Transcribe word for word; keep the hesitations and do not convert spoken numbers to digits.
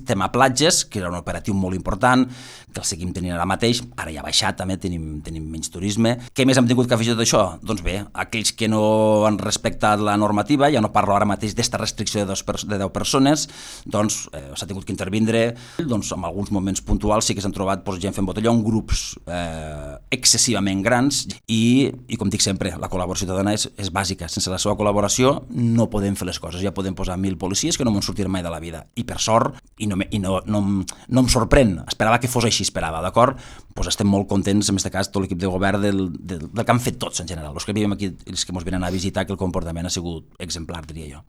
tema platges, que era un operatiu molt important, que el seguim tenint ara mateix, ara ja ha baixat també, tenim, tenim menys turisme. Què més hem tingut que afegir tot això? Doncs bé, aquells que no han respectat la normativa, ja no parlo ara mateix d'esta restricció de, dos, de deu persones, doncs eh, s'ha tingut que intervindre, doncs en alguns moments puntuals sí que s'han trobat doncs, gent fent botellón, grups eh, excessivament grans i, i com dic sempre, la col·laboració ciutadana és, és bàsica. Sense la seva col·laboració no podem fer les coses, ja podem posar mil policies que no m'han sortit mai de la vida. I per sort, i no, i no, no, no em sorprèn, esperava que fos així, esperava, d'acord? Doncs estem molt contents, en aquest cas, tot l'equip de govern del, del, del que han fet tots en general, els que vivim aquí, els que ens venen a visitar, que el comportament ha sigut exemplar, diria jo.